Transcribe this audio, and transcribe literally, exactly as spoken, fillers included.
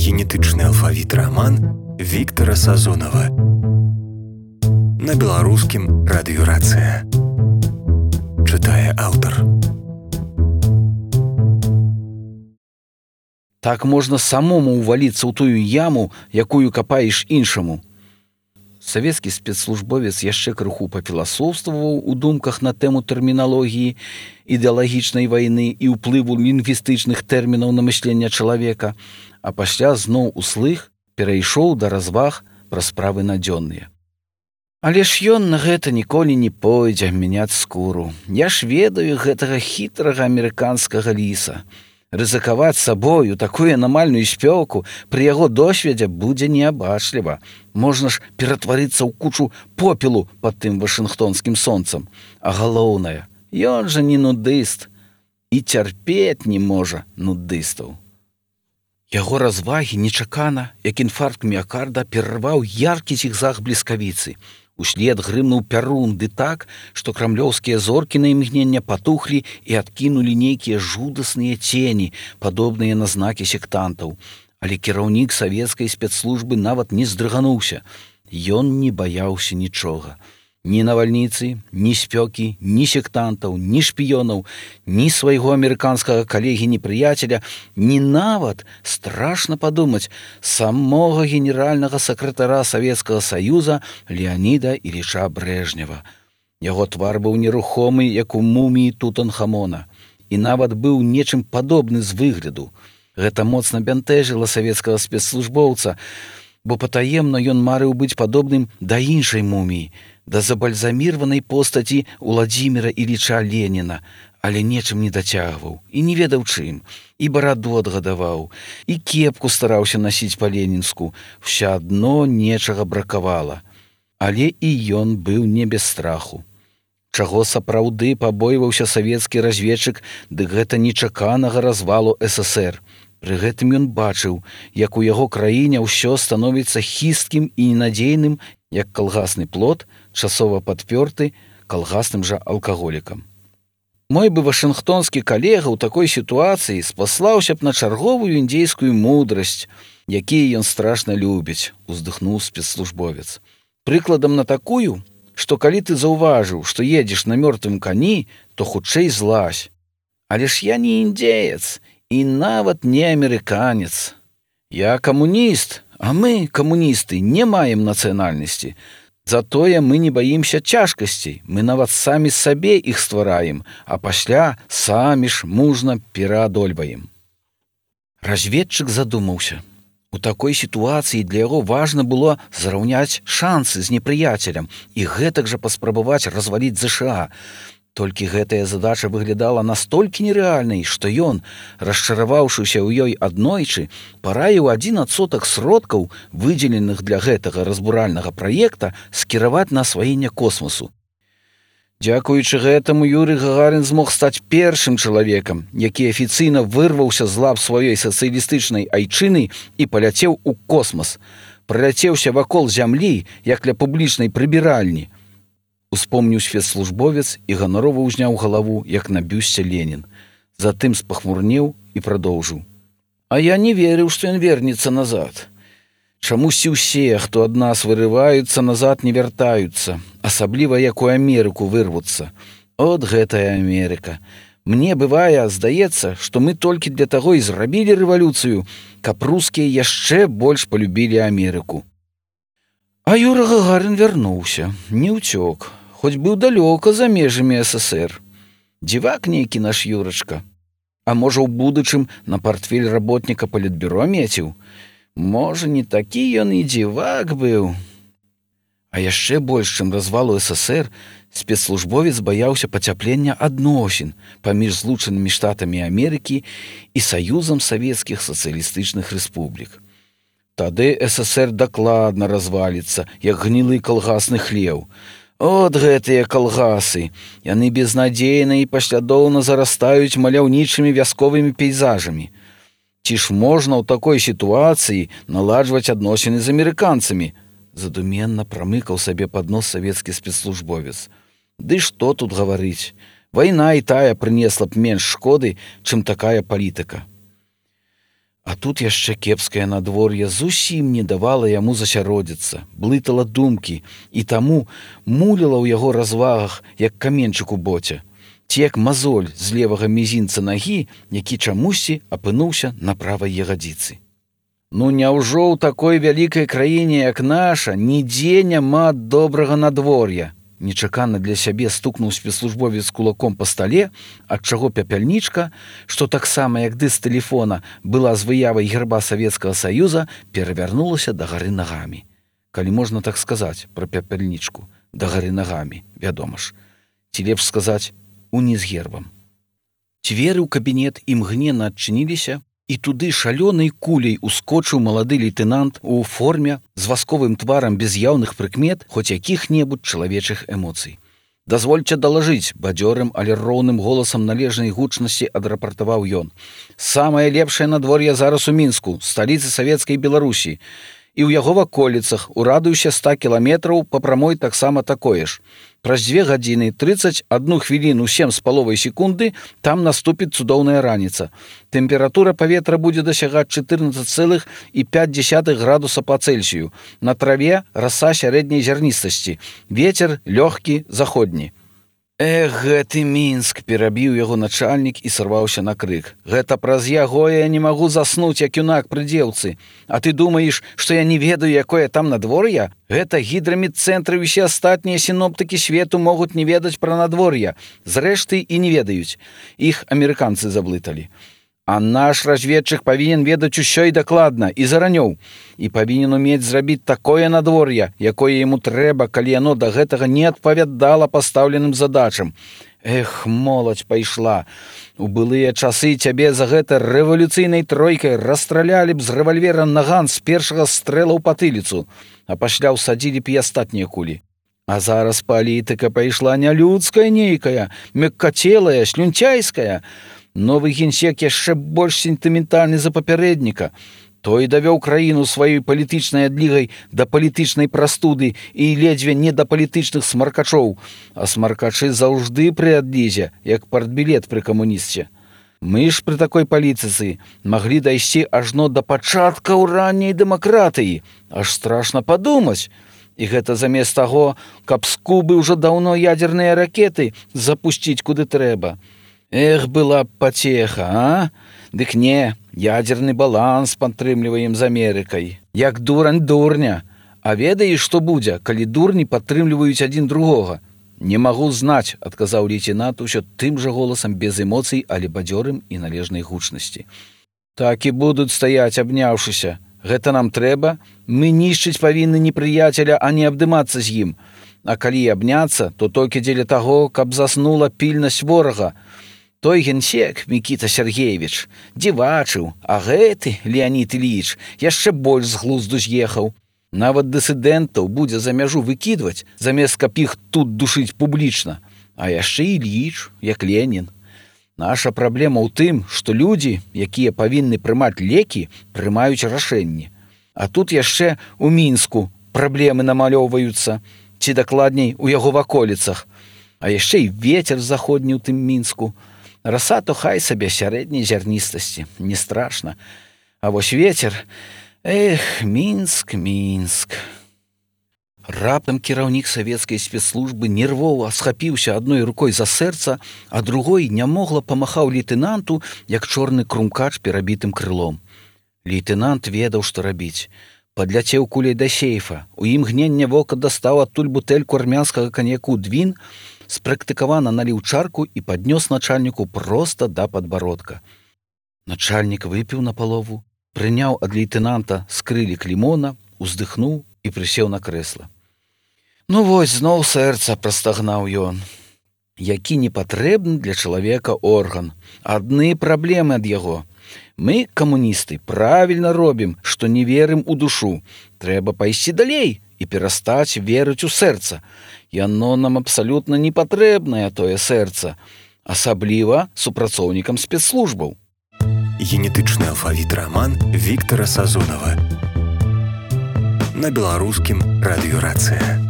генетычны алфавіт раман Віктара Сазонава. На беларускім радыёрацыя. Чытае аўтар. Так можна самому ўваліцца ў тую яму, якую капаеш іншаму. Савецкі спецслужбовец яшчэ крыху пафіласофстваваў у думках на тэму тэрміналогіі, ідэалагічнай вайны і ўплыву лінгвістычных тэрмінаў на мысленне чалавека, а пасля зноў услых перайшоў да разваг пра справы надзённыя. Але ж ён на гэта ніколі не пойдзе мяняць скуру. Я ж ведаю гэтага хітрага амерыканскага ліса. Рызыкаваць сабою такую анамальную спёку пры яго досведзе будзе неабачліва. Можна ж ператварыцца ў кучу попелу пад тым вашынгтонскім сонцам. А галоўнае, ён жа не нудыст і цярпець не можа нудыстаў. Яго развагі нечакана, як інфаркт міякарда, перарваў яркі зігзаг бліскавіцы. Услед грымнуў пярун ды так, што крамлёўскія зоркі на імгнення патухлі і адкінулі нейкія жудасныя цені, падобныя на знакі сектантаў. Але кіраўнік савецкай спецслужбы нават не здрыгануўся. Ён не баяўся нічога. Ні навальніцы, ні спёкі, ні сектантаў, ні шпіёнаў, ні свайго амерыканскага калегі-непрыяцеля, ні нават, страшна падумаць, самога генеральнага сакратара Савецкага Саюза Леаніда Іліча Брэжнева. Яго твар быў нерухомы, як у муміі Тутанхамона, і нават быў нечым падобны з выгляду. Гэта моцна бянтэжыла савецкага спецслужбоўца, бо патаемна ён марыў быць падобным да іншай муміі, да забальзаміраванай постаці Уладзіміра Іліча Леніна, але нечым не дацягваў і не ведаў чым, і бараду адгадаваў, і кепку стараўся насіць па-ленінску, ўсё адно нечага бракавала. Але і ён быў не без страху. Чаго сапраўды пабойваўся савецкі разведчык, дык гэта нечаканага развалу эс эс ер. Пры гэтым ён бачыў, як у яго краіне ўсё становіцца хісткім і ненадзейным, як калгасны плод, часова падпёрты калгасным жа алкаголікам. Мой бы вашынгтонскі калега ў такой сітуацыі спаслаўся б на чарговую індзейскую мудрасць, якія ён страшна любіць, уздыхнуў спецслужбовец. Прыкладам на такую, што калі ты заўважыў, што едзеш на мёртвым кані, то хутчэй злазь. Але ж я не індзеец, і нават не амерыканец. Я камуніст, а мы, камуністы, не маем нацыянальнасці. Затое мы не баімся цяжкасцей, мы нават самі сабе іх ствараем, а пасля самі ж мужна пераадольваем. Разведчык задумаўся. У такой сітуацыі для яго важна было зраўняць шансы з непрыяцелем і гэтак жа паспрабаваць разваліць зэ ша а. Толькі гэтая задача выглядала настолькі нерэальнай, што ён, расчараваўшыся ў ёй аднойчы, параіў адзін адсотак сродкаў, выдзеленых для гэтага разбуральнага праекта, скіраваць на асваенне космасу. Дзякуючы гэтаму Юрый Гагарин змог стаць першым чалавекам, які афіцыйна вырваўся з лап сваёй сацыялістычнай айчыны і паляцеў у космас. Праляцеўся вакол зямлі, як ля публічнай прыбіральні. Успомніў спецслужбовец і ганарова ўзняў галаву, як на бюсце Ленін. Затым спахмурнеў і прадоўжыў. А я не верыў, што ён вернецца назад. Чамусьці ўсе, хто ад нас вырываюцца, назад не вяртаюцца, асабліва як у Амерыку вырвуцца. От гэтая Амерыка. Мне бывае, здаецца, што мы толькі для таго і зрабілі рэвалюцыю, каб рускія яшчэ больш палюбілі Амерыку. А Юра Гагарин вярнуўся, не ўцёк, хоць быў далёка за межамі эс эс ер. Дзівак нейкі наш Юрачка. А можа, у будучым на партфель работніка палітбюро меціў? Можа, не такі ён і дзівак быў. А яшчэ больш, чым развалу эс эс ер, спецслужбовец баяўся пацяплення адносін паміж злучанымі штатамі Амерыкі і Саюзам савецкіх сацыялістычных рэспублік. Тады эс эс ер дакладна разваліцца, як гнілы калгасны хлеў. От гэтыя калгасы, яны безнадзейна і паслядоўна зарастаюць маляўнічымі вясковымі пейзажамі. Ці ж можна ў такой сітуацыі наладжваць адносіны з амерыканцамі? Задуменна прамыкаў сабе пад нос савецкі спецслужбовец. Ды што тут гаварыць? Вайна і тая прынесла б менш шкоды, чым такая палітыка. А тут яшчэ кепскае надвор'е зусім не давала яму засяродзіцца, блытала думкі, і таму муліла ў яго развагах, як каменчык у боце, ці як мазоль з левага мізінца нагі, які чамусьці апынуўся на правай ягадзіцы. Ну няўжо ў такой вялікай краіне, як наша, нідзе няма добрага надвор'я? Нечакана для сябе стукнуў спецслужбовец кулаком па стале, ад чаго пяпяльнічка, што таксама як дыск тэлефона была з выявай герба Савецкага Саюза, перавярнулася дагары нагамі. Калі можна так сказаць пра пяпяльнічку, дагары нагамі, вядома ж. Ці лепш сказаць, уніз гербам. Дзверы ў кабінет імгненна адчыніліся, і туды шалёнай куляй ускочыў малады лейтэнант у форме з васковым тварам без яўных прыкмет хоць якіх-небудзь чалавечых эмоцый. «Дазвольце далажыць», бадзёрым, але роўным голасам належнай гучнасці адрапартаваў ён. «Самае лепшае надвор'е зараз у Мінску, сталіцы Савецкай Беларусі. І ў яго ваколіцах, у радыусе ста кіламетраў па прамой таксама такое ж. Праз дзве гадзіны трыццаць адну хвіліну сем з паловай секунды там наступіць цудоўная раніца. Тэмпература паветра будзе дасягаць чатырнаццаць цэлых пяць дзесятых градуса па Цельсію. На траве раса сярэдняй зярністасці. Вецер лёгкі заходні». «Эх, гэты Мінск!» – перабіў яго начальнік і сарваўся на крык. «Гэта праз яго я не магу заснуць, як юнак пры дзеўцы. А ты думаеш, што я не ведаю, якое там надвор'е? Гэта гідрамедцэнтры і ўсе астатнія сіноптыкі свету могуць не ведаць пра надвор'е. Зрэшты, і не ведаюць. Іх амерыканцы заблыталі. А наш разведчык павінен ведаць усё і дакладна, і заранёў. І павінен умець зрабіць такое надвор'е, якое яму трэба, калі яно да гэтага не адпавядала пастаўленым задачам. Эх, моладзь пайшла. У былыя часы цябе за гэта рэвалюцыйнай тройкай расстралялі б з рэвальвера наган з першага стрэла ў патыліцу, а пасля ўсадзілі б і астатнія кулі. А зараз палітыка пайшла нялюдская нейкая, мяккацелая, слюнцяйская. Новы генсек яшчэ больш сентыментальны за папярэдніка. Той давёў краіну сваёй палітычнай адлігай да палітычнай прастуды і ледзьве не да палітычных смаркачоў. А смаркачы заўжды пры адлізе, як партбілет пры камунісце. Мы ж пры такой палітыцы маглі дайсці ажно да пачаткаў ранняй дэмакратыі. Аж страшна падумаць. І гэта замест таго, каб з Кубы ўжо даўно ядзерныя ракеты запусціць куды трэба. Эх, была б пацеха, а? Дык не, ядзерны баланс падтрымліваем з Амерыкай. Як дурань дурня. А ведаеш, што будзе, калі дурні падтрымліваюць адзін другога? Не магу знаць, адказаў лейтенант усё тым жа голасам без эмоцый, але бадзёрым і належнай гучнасці. Так і будуць стаяць, абняўшыся. Гэта нам трэба? Мы нішчыць павінны непрыяцеля, а не абдымацца з ім. А калі абняцца, то толькі дзеля таго, каб заснула пільнасць ворага. Той генсек, Мікіта Сергеевич, дзівачыў, а гэты, Леонід Іліч, яшчэ больш з глузду з'ехаў. Нават дысідэнтаў будзе за мяжу выкідваць, замест каб іх тут душыць публічна. А яшчэ Іліч, як Ленін. Наша праблема ў тым, што людзі, якія павінны прымаць лекі, прымаюць рашэнні. А тут яшчэ ў Мінску праблемы намалёўваюцца, ці дакладней у яго ваколіцах. А яшчэ і вецер заходні ў тым Мінску. Раса то хай сабе сярэдняй зярністасці, не страшна. А вось вецер, эх, Мінск, Мінск. Раптам кіраўнік савецкай спецслужбы нервова схапіўся адной рукой за сэрца, а другой нямогла памахаў лейтэнанту, як чорны крумкач перабітым крылом. Лейтэнант ведаў, што рабіць. Падляцеў куляй да сейфа. У імгненне вока дастаў адтуль бутэльку армянскага каньяку «Двін», спрактыкавана наліў чарку і паднёс начальніку проста да падбародка. Начальнік выпіў напалову, прыняў ад лейтэнанта скрылік лімона, уздыхнуў і прысеў на крэсла. Ну вось, зноў сэрца, прастагнаў ён. Які непатрэбны для чалавека орган. Адны праблемы ад яго. Мы, камуністы, правільна робім, што не верым у душу. Трэба пайсці далей і перастаць верыць у сэрца. Яно нам абсалютна не патрэбнае, тое сэрца, асабліва супрацоўнікам спецслужбаў. Генетычны алфавіт раман Віктара Сазонава. На беларускім радыё «Рацыя».